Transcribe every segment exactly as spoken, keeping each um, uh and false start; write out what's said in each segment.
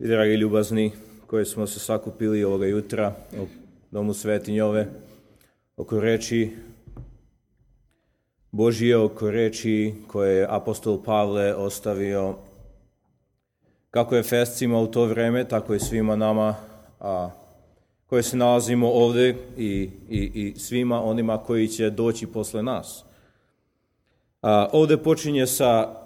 I dragi ljubazni koji smo se sakupili ovoga jutra u Domu Svetinjove oko reči Božije, oko reči koje je apostol Pavle ostavio kako Efescima u to vreme, tako i svima nama a, koji se nalazimo ovdje i, i, i svima onima koji će doći posle nas. A, ovdje počinje sa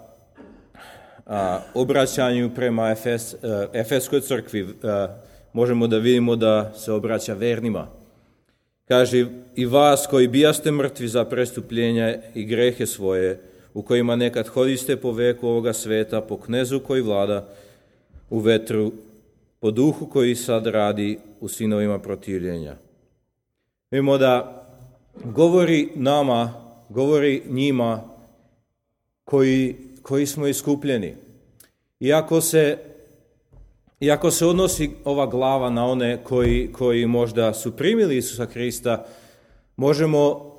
a, obraćanju prema Efes, a, Efeskoj crkvi. A, možemo da vidimo da se obraća vernima. Kaže, i vas koji bijaste mrtvi za prestupljenja i grehe svoje, u kojima nekad hodiste po veku ovoga sveta, po knezu koji vlada u vetru, po duhu koji sad radi u sinovima protivljenja. Vidimo da govori nama, govori njima koji, koji smo iskupljeni. Iako se, iako se odnosi ova glava na one koji, koji možda su primili Isusa Hrista, možemo,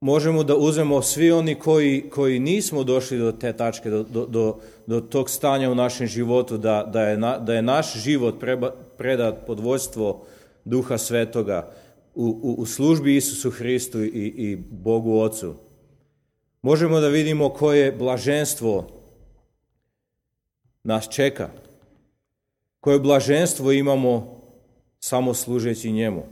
možemo da uzmemo svi oni koji, koji nismo došli do te tačke, do, do, do, do tog stanja u našem životu, da, da, je, na, da je naš život preba, predat pod vodstvo Duha Svetoga u, u, u službi Isusu Hristu i, i Bogu Ocu. Možemo da vidimo koje blaženstvo nas čeka, koje blaženstvo imamo samo služeći njemu.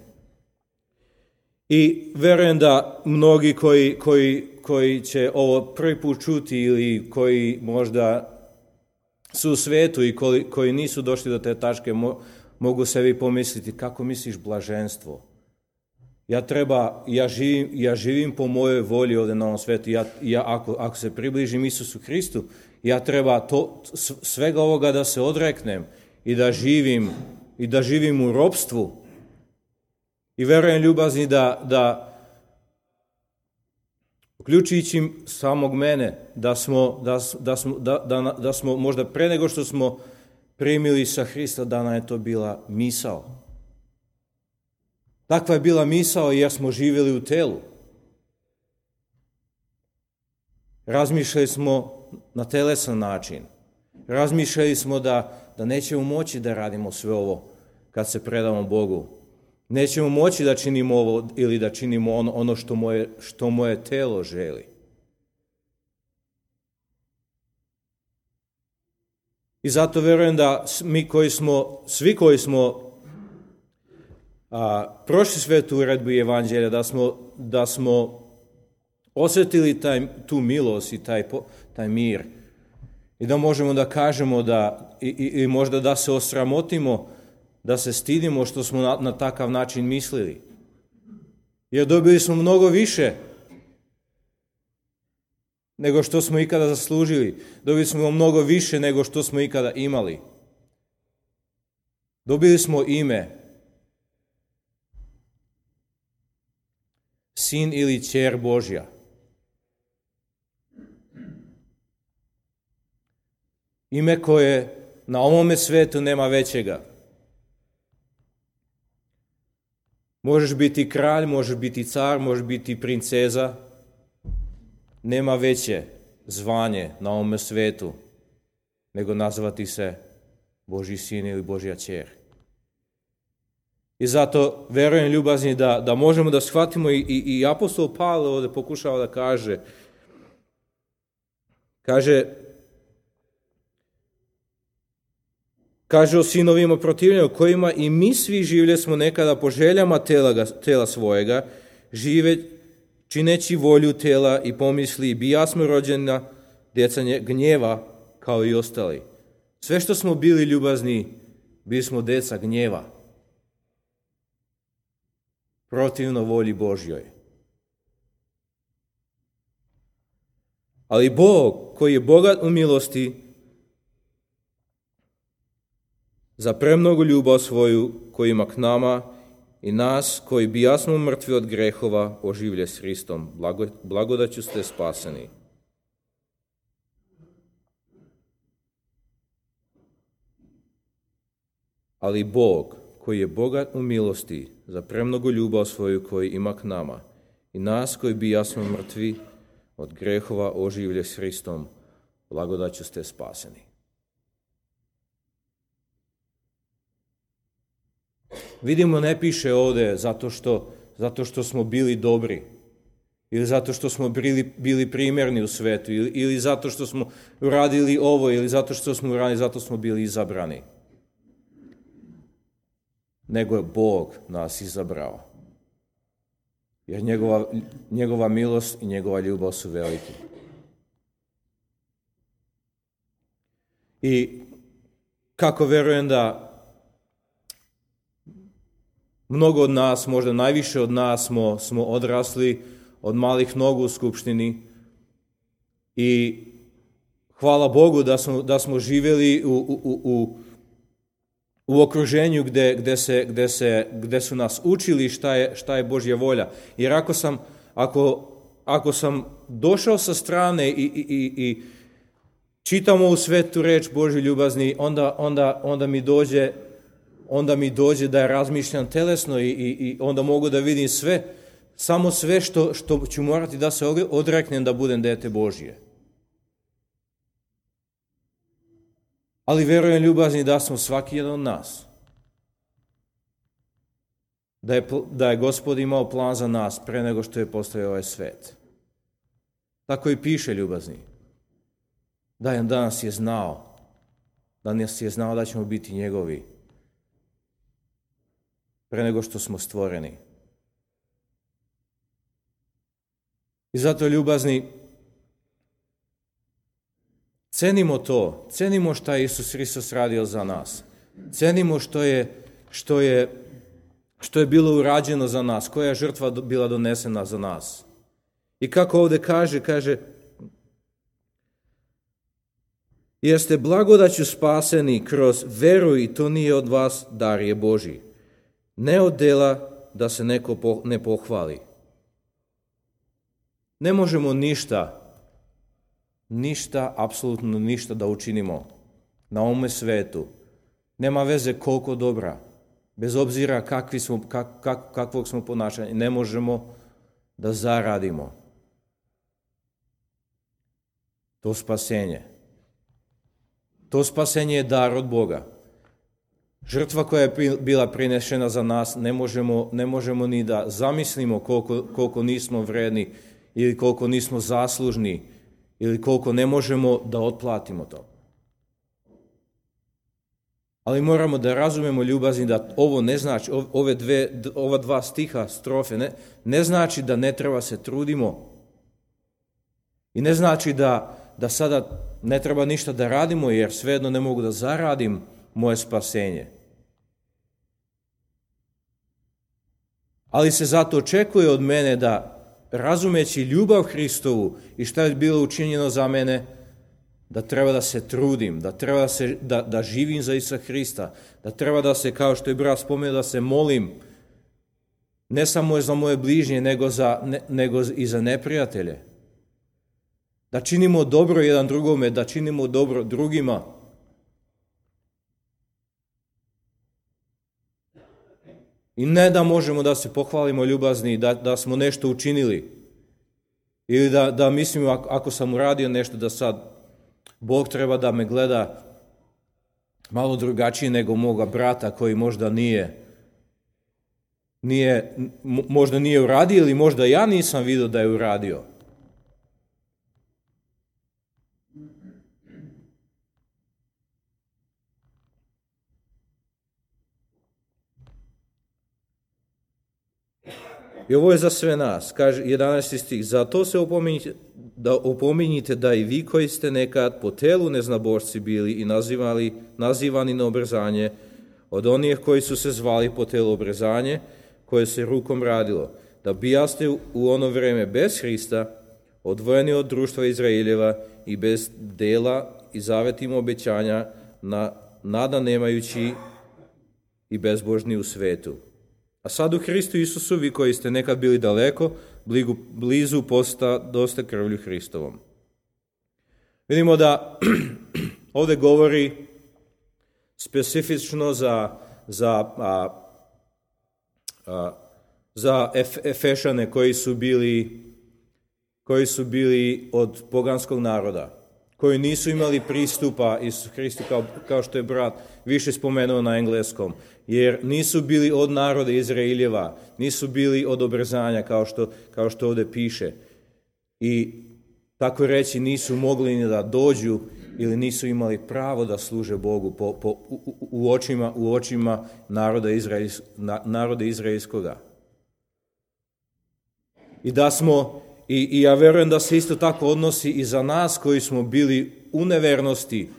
I verujem da mnogi koji, koji, koji će ovo prvi put čuti ili koji možda su u svetu i koji, koji nisu došli do te tačke, mo, mogu sebi pomisliti kako misliš blaženstvo. Ja treba, ja živim, ja živim po mojoj volji ovdje na ovom svetu. Ja, ja ako, ako se približim Isusu Hristu, ja treba to, svega ovoga da se odreknem i da živim, i da živim u ropstvu. I verujem ljubazni da, da uključujući samog mene, da smo, da, da, smo, da, da, da smo možda pre nego što smo primili sa Hrista, da nam je to bila misao. Takva je bila misao jer smo živjeli u telu. Razmišljali smo na telesan način. Razmišljali smo da, da nećemo moći da radimo sve ovo kad se predamo Bogu. Nećemo moći da činimo ovo ili da činimo ono, ono što, moje, što moje telo želi. I zato verujem da mi koji smo, svi koji smo a, prošli svetu uredbu i evanđelja, da smo, da smo osjetili taj, tu milost i taj, taj mir. I da možemo da kažemo da, i, i, i možda da se osramotimo, da se stidimo što smo na, na takav način mislili. Jer dobili smo mnogo više nego što smo ikada zaslužili. Dobili smo mnogo više nego što smo ikada imali. Dobili smo ime. Sin ili ćer Božja. Ime koje na ovome svetu nema većega. Možeš biti kralj, možeš biti car, možeš biti princeza. Nema veće zvanje na ovome svetu nego nazvati se Božji sin ili Božja ćer. I zato verujem ljubazni da, da možemo da shvatimo i, i, i apostol Pavle ovdje pokušava da kaže, kaže, kaže o sinovima protivljenja, kojima i mi svi živjeli smo nekada po željama tela, tela svojega, žive čineći volju tela i pomisli, bija smo rođena djeca gnjeva kao i ostali. Sve što smo bili ljubazni, bili smo djeca gnjeva. Protivno volji Božjoj. Ali Bog, koji je bogat u milosti, za premnogu ljubav svoju koju ima k nama i nas koji bijasmo mrtvi od grehova oživlje s Hristom, blago, blagodaću ste spaseni. Ali Bog, koji je bogat u milosti, za premnogu ljubav svoju koju ima k nama i nas koji bijasmo mrtvi od grehova oživlje s Hristom, blagodaću ste spaseni. Vidimo, ne piše ovde zato što, zato što smo bili dobri, ili zato što smo bili, bili primjerni u svetu, ili, ili zato što smo uradili ovo, ili zato što smo uradili, zato smo bili izabrani. Nego je Bog nas izabrao. Jer njegova, njegova milost i njegova ljubav su veliki. I kako verujem da mnogo od nas, možda najviše od nas smo, smo odrasli od malih nogu u skupštini i hvala Bogu da smo, da smo živjeli u, u, u, u okruženju gde, gde, se, gde, se, gde su nas učili šta je, šta je Božja volja. Jer ako sam, ako, ako sam došao sa strane i, i, i, i čitam ovu svetu reč Božju ljubazni, onda, onda, onda mi dođe onda mi dođe da razmišljam telesno i, i, i onda mogu da vidim sve, samo sve što, što ću morati da se odreknem da budem dete Božje. Ali verujem ljubazni da smo svaki jedan od nas. Da je, da je Gospod imao plan za nas pre nego što je postojao ovaj svet. Tako i piše ljubazni. Da je danas je znao, da nas je znao da ćemo biti njegovi pre nego što smo stvoreni. I zato ljubazni, cenimo to, cenimo šta je Isus Hristos radio za nas. Cenimo što je, što je, što je bilo urađeno za nas, koja je žrtva bila donesena za nas. I kako ovdje kaže, kaže, jer ste blagodaću spaseni kroz veru i to nije od vas, dar je Božji. Ne od dela da se neko ne pohvali. Ne možemo ništa, ništa, apsolutno ništa da učinimo na ovome svetu. Nema veze koliko dobra, bez obzira kakvi smo, kak, kak, kakvog smo ponašanja, ne možemo da zaradimo to spasenje. To spasenje je dar od Boga. Žrtva koja je bila prinešena za nas, ne možemo, ne možemo ni da zamislimo koliko, koliko nismo vredni ili koliko nismo zaslužni ili koliko ne možemo da otplatimo to. Ali moramo da razumemo ljubazni da ovo ne znači, ove dve, ova dva stiha, strofe, ne, ne znači da ne treba se trudimo i ne znači da, da sada ne treba ništa da radimo jer svejedno ne mogu da zaradim moje spasenje. Ali se zato očekuje od mene da, razumeći ljubav Hristovu i šta je bilo učinjeno za mene, da treba da se trudim, da treba da, se, da, da živim za Isusa Hrista, da treba da se, kao što je brat spomenuo, da se molim ne samo za moje bližnje, nego, za, ne, nego i za neprijatelje. Da činimo dobro jedan drugome, da činimo dobro drugima. I ne da možemo da se pohvalimo ljubazni, da, da smo nešto učinili. Ili da, da mislimo, ako, ako sam uradio nešto, da sad Bog treba da me gleda malo drugačije nego moga brata koji možda nije, nije, možda nije uradio ili možda ja nisam vidio da je uradio. I ovo je za sve nas, kaže jedanaesti stih, zato se opominjite da, opominjite da i vi koji ste nekad po telu neznabošci bili i nazivali, nazivani na obrezanje, od onih koji su se zvali po telu obrezanje, koje se rukom radilo, da bijaste u ono vreme bez Hrista, odvojeni od društva Izraeljeva i bez dela i zavetim obećanja, na, nada nemajući i bezbožni u svetu. A sad u Hristu Isusu, vi koji ste nekad bili daleko, blizu, blizu posta dosta krvlju Hristovom. Vidimo da ovdje govori specifično za, za, a, a, za Ef, Efešane koji su bili koji su bili od poganskog naroda, koji nisu imali pristupa Isusu Hristu, kao, kao što je brat više spomenuo na engleskom, jer nisu bili od naroda Izraeljeva, nisu bili od obrzanja, kao što, kao što ovdje piše. I tako reći nisu mogli ni da dođu ili nisu imali pravo da služe Bogu po, po, u, u očima, u očima naroda, Izraels, na, naroda Izraelskoga. I da smo, i, i ja verujem da se isto tako odnosi i za nas koji smo bili u nevernosti,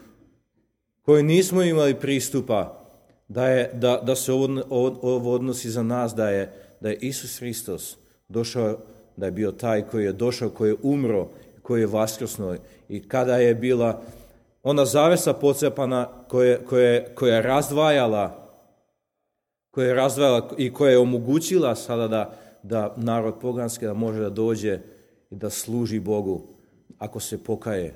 koji nismo imali pristupa, da, je, da, da se ovo, ovo odnosi za nas, da je, da je Isus Hristos došao, da je bio taj koji je došao, koji je umro, koji je vaskrsnuo. I kada je bila ona zavesa pocepana koja, koja, koja je razdvajala, koja je razdvajala i koja je omogućila sada da, da narod poganski da može da dođe i da služi Bogu ako se pokaje.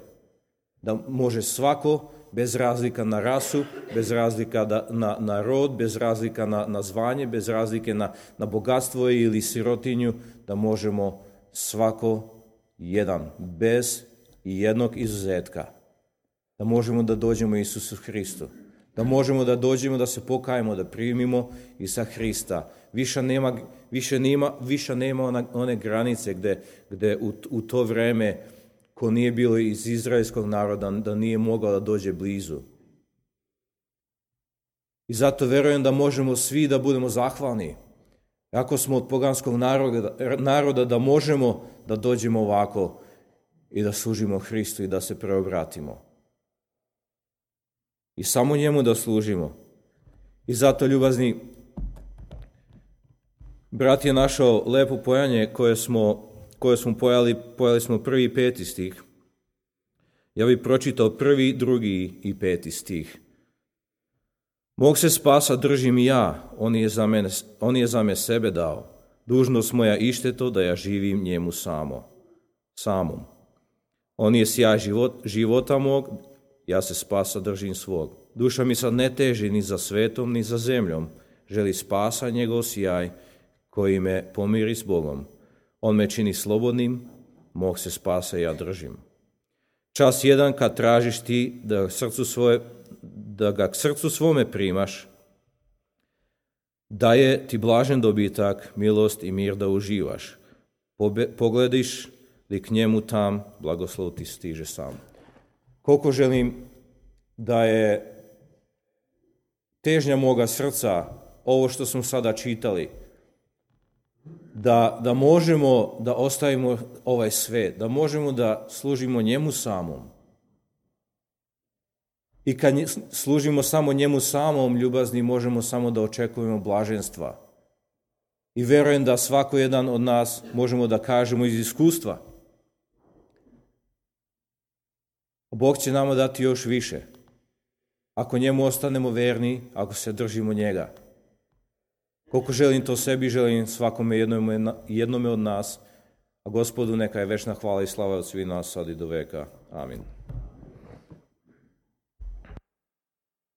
Da može svako, bez razlika na rasu, bez razlika da, na, na rod, bez razlika na, na zvanje, bez razlike na, na bogatstvo ili sirotinju, da možemo svako jedan, bez jednog izuzetka. Da možemo da dođemo Isusu Hristu. Da možemo da dođemo, da se pokajemo, da primimo Isusa Hrista. Više nema, više nema, više nema ona, one granice gde, gde u, u to vreme ko nije bilo iz izraelskog naroda, da nije mogao da dođe blizu. I zato verujem da možemo svi da budemo zahvalni. Ako smo od poganskog naroda, naroda da možemo da dođemo ovako i da služimo Hristu i da se preobratimo. I samo njemu da služimo. I zato, ljubazni, brat je našao lepo pojanje koje smo, koje smo pojali, pojali smo prvi i peti stih. Ja bih pročitao prvi, drugi i peti stih. Mog se spasa držim i ja, on je za mene, on je za me sebe dao. Dužnost moja ište to da ja živim njemu samo, samom. On je sjaj život, života mog, ja se spasa držim svog. Duša mi sad ne teži ni za svetom, ni za zemljom. Želi spasa njegov sjaj koji me pomiri s Bogom. On me čini slobodnim, mog se spasa ja držim. Čas jedan kad tražiš ti da, srcu svoje, da ga k srcu svome primaš, daje ti blažen dobitak, milost i mir da uživaš. Pobe, pogledaš li k njemu tam, blagoslov ti stiže sam. Koliko želim da je težnja moga srca, ovo što smo sada čitali, da, da možemo da ostavimo ovaj svet, da možemo da služimo njemu samom. I kad služimo samo njemu samom, ljubazni, možemo samo da očekujemo blaženstva. I verujem da svako jedan od nas možemo da kažemo iz iskustva. Bog će nama dati još više. Ako njemu ostanemo verni, ako se držimo njega. Koliko želim to sebi, želim svakome jednome, jednome od nas, a Gospodu neka je večna hvala i slava od svih nas sad i do veka. Amin.